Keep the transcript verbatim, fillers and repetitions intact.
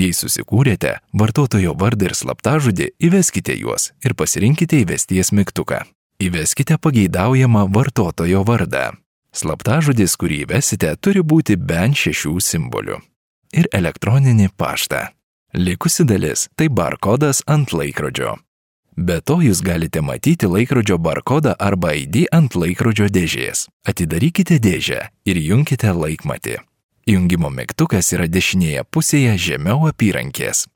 Jei susikūrėte vartotojo vardą ir slaptažodį, įveskite juos ir pasirinkite įvesties mygtuką. Įveskite pageidaujamą vartotojo vardą. Slaptažodis, kurį įvesite, turi būti bent šešių simbolių. Ir elektroninį paštą. Likusi dalis – tai barkodas ant laikrodžio. Be to jūs galite matyti laikrodžio barkodą arba I D ant laikrodžio dėžės. Atidarykite dėžę ir junkite laikmatį. Jungimo mygtukas yra dešinėje pusėje žemiau apyrankės.